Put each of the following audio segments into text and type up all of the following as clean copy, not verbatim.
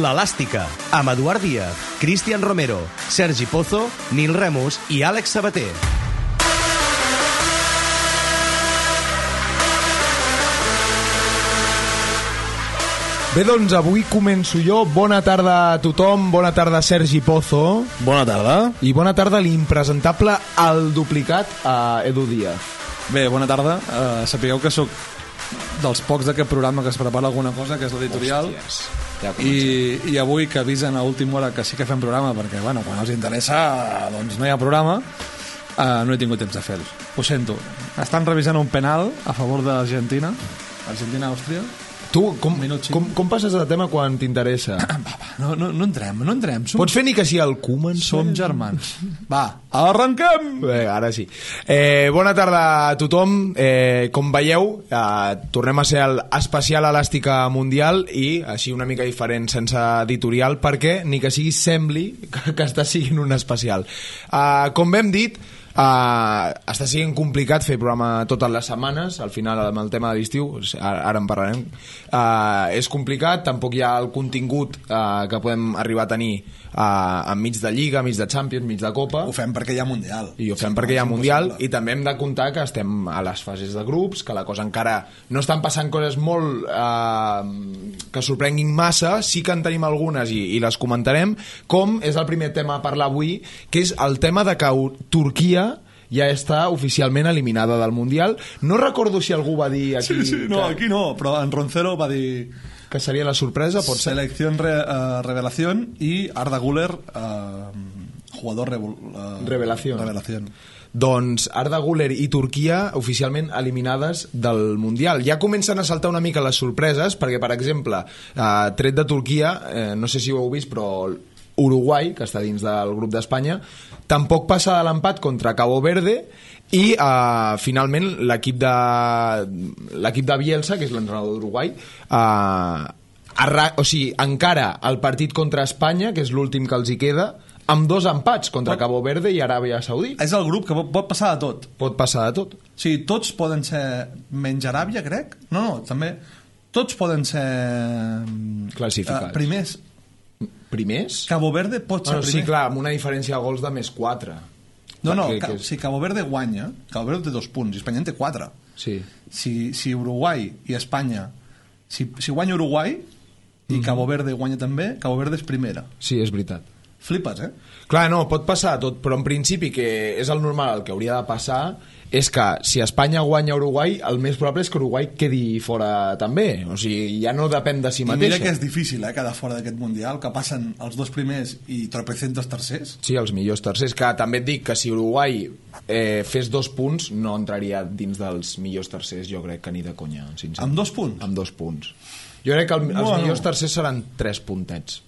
L'Elàstica, amb Eduard Díaz, Cristian Romero, Sergi Pozo, Nil Remus i Àlex Sabater. Bé, doncs avui començo jo. Bona tarda a tothom, bona tarda Sergi Pozo. Bona tarda. I bona tarda a l'impresentable, el duplicat, a Edu Díaz. Bé, bona tarda. Sapigueu que sóc dels pocs d'aquest programa que es prepara alguna cosa, que és l'editorial. Ja I avui que avisen a última hora que sí que fem programa, perquè bueno, quan els interessa doncs no hi ha programa, no he tingut temps de fer-ho. Ho sento. Estan revisant un penal a favor d'Argentina, Argentina-Àustria. Tu, com passes de tema quan t'interessa? No entrem. Pots fer ni que sigui el Koeman? Som germans. Va, arrenquem! Bé, ara sí. Bona tarda a tothom. Com veieu, tornem a ser l'especial Elàstica Mundial i així una mica diferent, sense editorial, perquè ni que sigui sembli que està siguent un especial. Com hem dit, està sent complicat fer programa totes les setmanes. Al final, amb el tema de l'estiu, ara en parlarem, és complicat. Tampoc hi ha el contingut que podem arribar a tenir enmig de Lliga, enmig de Champions, enmig de Copa. Ho fem perquè hi ha Mundial. I ho fem perquè hi ha Mundial. I també hem de comptar que estem a les fases de grups, que la cosa encara no estan passant coses molt que sorprenguin massa. Sí que en tenim algunes i les comentarem, com és el primer tema a parlar avui, que és el tema de que Turquia ja està oficialment eliminada del Mundial. No recordo si algú va dir aquí... Sí, no, aquí no, però en Roncero va dir... Que seria la sorpresa, pot ser? Selección revelación y Arda Güler jugador revelación. Doncs Arda Güler i Turquia oficialment eliminades del Mundial. Ja comencen a saltar una mica les sorpreses, perquè, per exemple, tret de Turquia, no sé si ho heu vist, però Uruguai, que està dins del grup d'Espanya, tampoc passa de l'empat contra Cabo Verde i finalment l'equip de Bielsa, que és l'entrenador d'Uruguai, encara el partit contra Espanya, que és l'últim que els hi queda, amb 2 empats contra Cabo Verde i Aràbia Saudí. És el grup que pot passar de tot. Pot passar de tot. O sigui, tots poden ser menys Aràbia, crec. No, també tots poden ser classificats. Primers? Cabo Verde pot ser primer. Sí, clar, amb una diferència de gols de +4. Si Cabo Verde guanya, Cabo Verde té 2 punts i Espanya en té 4. Sí. Si Uruguai i Espanya, si guanya Uruguai i Cabo Verde guanya també, Cabo Verde és primera. Sí, és veritat. Flipes, Clar, no, pot passar tot, però en principi, que és el normal, el que hauria de passar és que si Espanya guanya Uruguai, el més probable és que Uruguai quedi fora també. O sigui, ja no depèn de si mateixa. I mira que és difícil, quedar fora d'aquest Mundial, que passen els 2 primers i tropecientos tercers. Sí, els millors tercers, que també et dic que si Uruguai fes 2 punts, no entraria dins dels millors tercers, jo crec que ni de conya, sincerament. Amb 2 punts? Amb 2 punts. Jo crec que els millors tercers seran 3 puntets.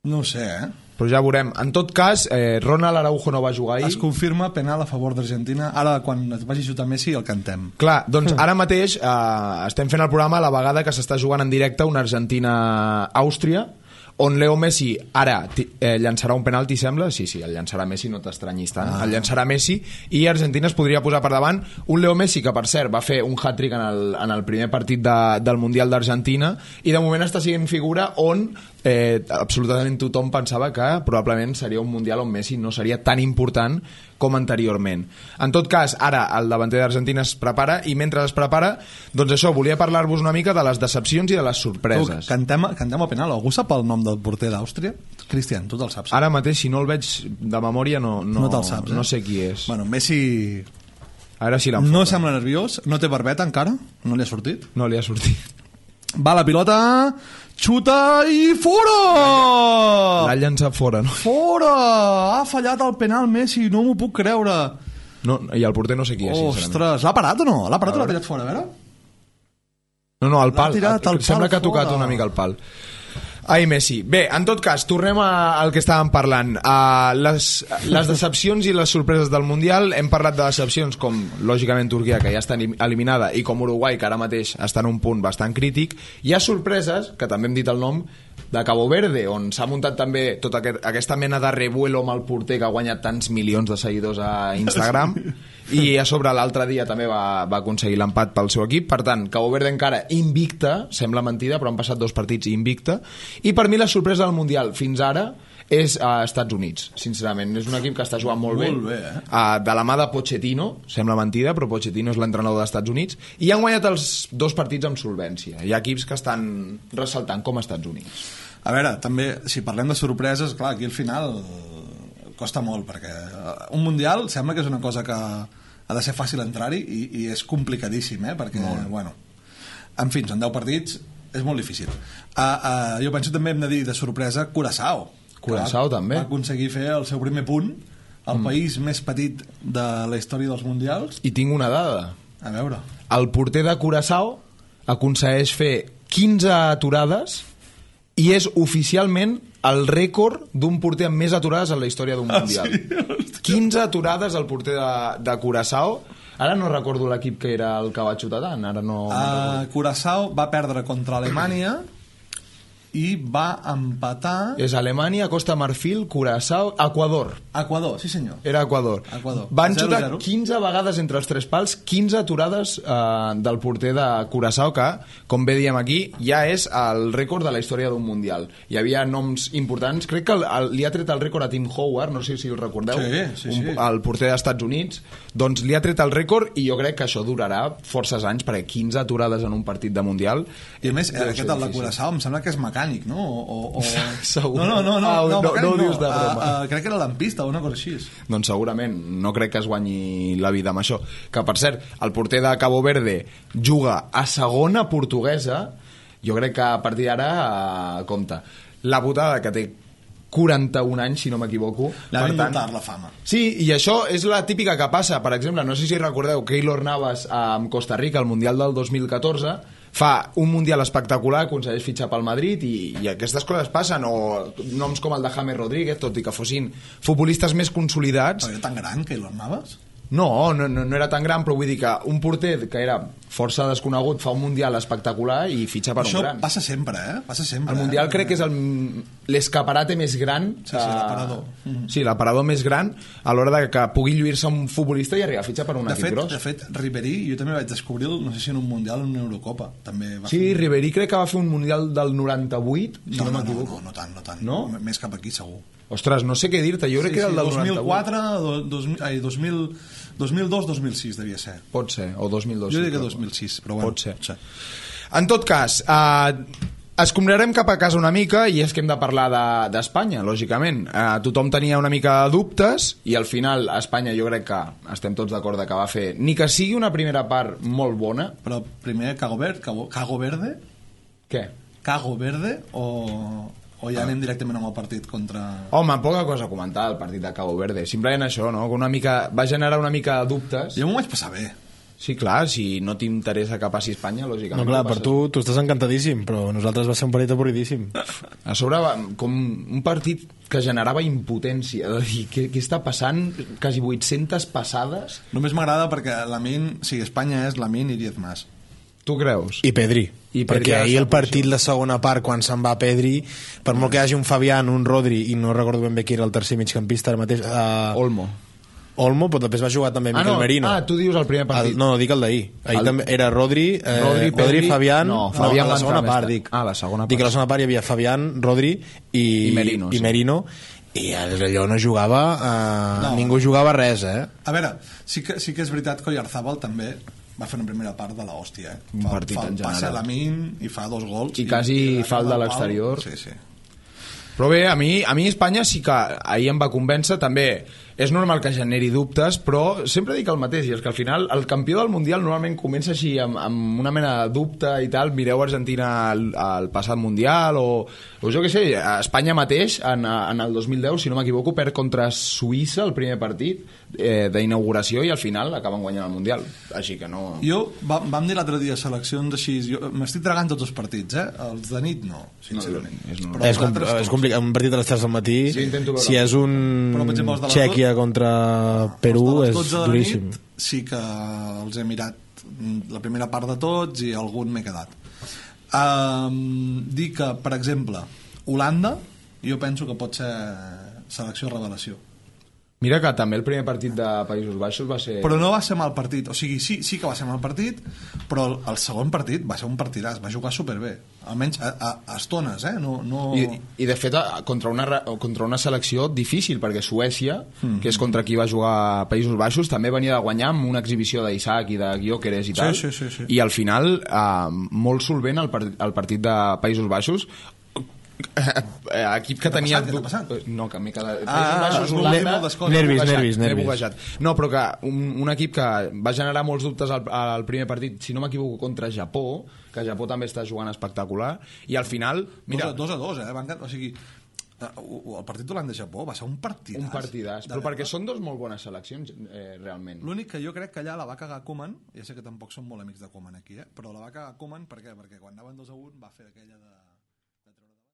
No ho sé, Però ja veurem. En tot cas, Ronald Araujo no va jugar ahir. Es confirma penal a favor d'Argentina. Ara, quan es vagi a xutar Messi, el cantem. Clar, doncs ara mateix estem fent el programa a la vegada que s'està jugant en directe una Argentina-Àustria, on Leo Messi ara llançarà un penalti, sembla? Sí, el llançarà Messi, no t'estranyis tant. El llançarà Messi i Argentina es podria posar per davant. Un Leo Messi que, per cert, va fer un hat-trick en el primer partit del Mundial d'Argentina i de moment està sent figura on absolutament tothom pensava que probablement seria un Mundial on Messi no seria tan important com anteriorment. En tot cas, ara el davanter d'Argentina es prepara i mentre es prepara, doncs això, volia parlar-vos una mica de les decepcions i de les sorpreses. Cantem el penal. Algú sap el nom del porter d'Àustria? Cristian, tu te'l saps? Ara mateix, si no el veig de memòria, no te'l saps, no sé qui és. Bueno, Messi... A veure si l'enfoca. No sembla nerviós, no té barbeta encara, no li ha sortit. No li ha sortit. Va la pilota, xuta i fora! L'ha llançat fora, no? Fora! Ha fallat el penal Messi, no m'ho puc creure. No, i el porter no sé qui és, sincerament. Ostres, l'ha parat o no? L'ha parat o l'ha tirat fora, a veure? No, al pal. Sembla que ha tocat una mica el pal. Ai, Messi. Bé, en tot cas, tornem al que estàvem parlant. Les decepcions i les sorpreses del Mundial. Hem parlat de decepcions com, lògicament, Turquia, que ja està eliminada, i com Uruguai, que ara mateix està en un punt bastant crític. Hi ha sorpreses, que també hem dit el nom, de Cabo Verde, on s'ha muntat també tota aquesta mena de revuelo amb el porter que ha guanyat tants milions de seguidors a Instagram. i a sobre l'altre dia també va aconseguir l'empat pel seu equip. Per tant, Cabo Verde encara invicta, sembla mentida, però han passat 2 partits invicta, i per mi la sorpresa del Mundial fins ara és a Estats Units, sincerament. És un equip que està jugant molt bé, de la mà de Pochettino, sembla mentida, però Pochettino és l'entrenador dels Estats Units, i han guanyat els 2 partits amb solvència. Hi ha equips que estan ressaltant com Estats Units. A veure, també, si parlem de sorpreses, clar, aquí al final costa molt, perquè un Mundial sembla que és una cosa que ha de ser fàcil entrar-hi i és complicadíssim, perquè, bueno, en fi, són 10 partits, és molt difícil. Jo penso també hem de dir de sorpresa Curaçao també va aconseguir fer el seu primer punt al país més petit de la història dels mundials. I tinc una dada. A veure. El porter de Curaçao aconsegueix fer 15 aturades i és oficialment el rècord d'un porter amb més aturades en la història d'un mundial. Sí? 15 aturades al porter de Curaçao. Ara no recordo l'equip que era el que va xutar tant. Ara no Curaçao va perdre contra Alemanya i va empatar... És Alemanya, Costa Marfil, Curaçao, Equador, sí senyor. Era Equador. Van xutar 15 vegades entre els 3 pals, 15 aturades del porter de Curaçao, que, com bé diem aquí, ja és el rècord de la història d'un mundial. Hi havia noms importants, crec que li ha tret el rècord a Tim Howard, no sé si el recordeu, sí. El porter dels Estats Units, doncs li ha tret el rècord i jo crec que això durarà forces anys, perquè 15 aturades en un partit de mundial... I a més, aquest del de Curaçao em sembla que és mecànic, no? Segur. No ho dius de broma. Crec que era lampista o una cosa així. Doncs segurament, no crec que es guanyi la vida amb això. Que per cert, el porter de Cabo Verde juga a segona portuguesa, jo crec que a partir d'ara compta. La putada que té 41 anys, si no m'equivoco. L'ha d'inventar la fama. Sí, i això és la típica que passa. Per exemple, no sé si recordeu Keylor Navas amb Costa Rica al Mundial del 2014, fa un Mundial espectacular, aconsegueix fitxar pel Madrid i aquestes coses passen, o noms com el de James Rodríguez, tot i que fossin futbolistes més consolidats. Però era tan gran, Keylor Navas? No era tan gran, però vull dir que un porter que era força desconegut fa un Mundial espectacular i fitxa per un gran. Això passa sempre, Passa sempre. El Mundial crec que és l'escaparate més gran. Sí, l'aparador. Sí, l'aparador més gran a l'hora de que pugui lluir-se un futbolista i arribar a fitxar per un equip gros. De fet, Ribéry, jo també vaig descobrir, no sé si en un Mundial o en una Eurocopa. També va fer... Ribéry crec que va fer un Mundial del 98, si no m'equivoco. No tant. No? Més cap aquí, segur. Ostres, no sé què dir-te, jo crec que era el del 2002-2006 devia ser. Pot ser, o 2002. Jo diria que 2006, però bueno. Pot ser. En tot cas, escombrarem cap a casa una mica i és que hem de parlar d'Espanya, lògicament. Tothom tenia una mica de dubtes i al final Espanya jo crec que estem tots d'acord que va fer, ni que sigui una primera part molt bona. Però primer Cago Verde? Què? Cago Verde o ja anem directament amb el partit contra... Home, poca cosa a comentar del partit de Cabo Verde. Simplement això, no? Que una mica, va generar una mica de dubtes. Jo m'ho vaig passar bé. Sí, clar, si no t'interessa que passi Espanya, lògicament... No, clar, per tu estàs encantadíssim, però nosaltres va ser un partit avorridíssim. A sobre, com un partit que generava impotència, de dir, què està passant? Quasi 800 passades? Només m'agrada perquè Espanya és Lamine i 10 més. Tu creus? I Pedri. Perquè ahir el partit, la segona part, quan se'n va Pedri, per molt que hi hagi un Fabián, un Rodri, i no recordo ben bé qui era el tercer migcampista ara mateix... Olmo, però després va jugar també Miquel Merino. Tu dius el primer partit. No, dic el d'ahir. Ahir també era Rodri, Fabián... No, Fabián la segona part, dic. La segona part. Dic que a la segona part hi havia Fabián, Rodri i Merino, i allò no jugava... Ningú jugava res, A veure, sí que és veritat que Oyarzabal també va fer una primera part de l'hòstia, Un partit en general. Passa Lamine i fa 2 gols. I quasi fa el de l'exterior. Sí. Però bé, a mi Espanya sí que ahir em va convèncer. També és normal que generi dubtes, però sempre dic el mateix, i és que al final el campió del Mundial normalment comença així amb una mena de dubte i tal. Mireu Argentina al passat Mundial o jo què sé, Espanya mateix en el 2010, si no m'equivoco, perd contra Suïssa el primer partit d'inauguració i al final acaben guanyant el Mundial, així que no... Vam dir l'altre dia seleccions així, m'estic tragant tots els partits, els de nit no, sincerament. És complicat, un partit a les 3 del matí, si és un Txèquia contra Perú, és duríssim. Sí que els he mirat la primera part de tots i algun m'he quedat. Dir que, per exemple, Holanda, jo penso que pot ser selecció revelació. Mira que també el primer partit de Països Baixos va ser... Però no va ser mal partit, o sigui, sí que va ser mal partit, però el segon partit va ser un partidàs, va jugar superbé, almenys a estones, no... I de fet, contra una selecció difícil, perquè Suècia, que és contra qui va jugar Països Baixos, també venia de guanyar amb una exhibició d'Isaac i de Gyökeres i tal, sí. i al final, molt solvent el partit de Països Baixos, equip que tenia... Què t'ha passat? No, que m'he quedat... Nervis. No, però que un equip que va generar molts dubtes al primer partit, si no m'equivoco, contra Japó, que Japó també està jugant espectacular, i al final... Mira, 2-2, o sigui, el partit d'Holanda-Japó va ser un partidàs. Un partidàs, però perquè són dos molt bones seleccions, realment. L'únic que jo crec que allà la va cagar Koeman, ja sé que tampoc som molt amics de Koeman aquí, però la va cagar Koeman, per què? Perquè quan anaven 2-1 va fer aquella de...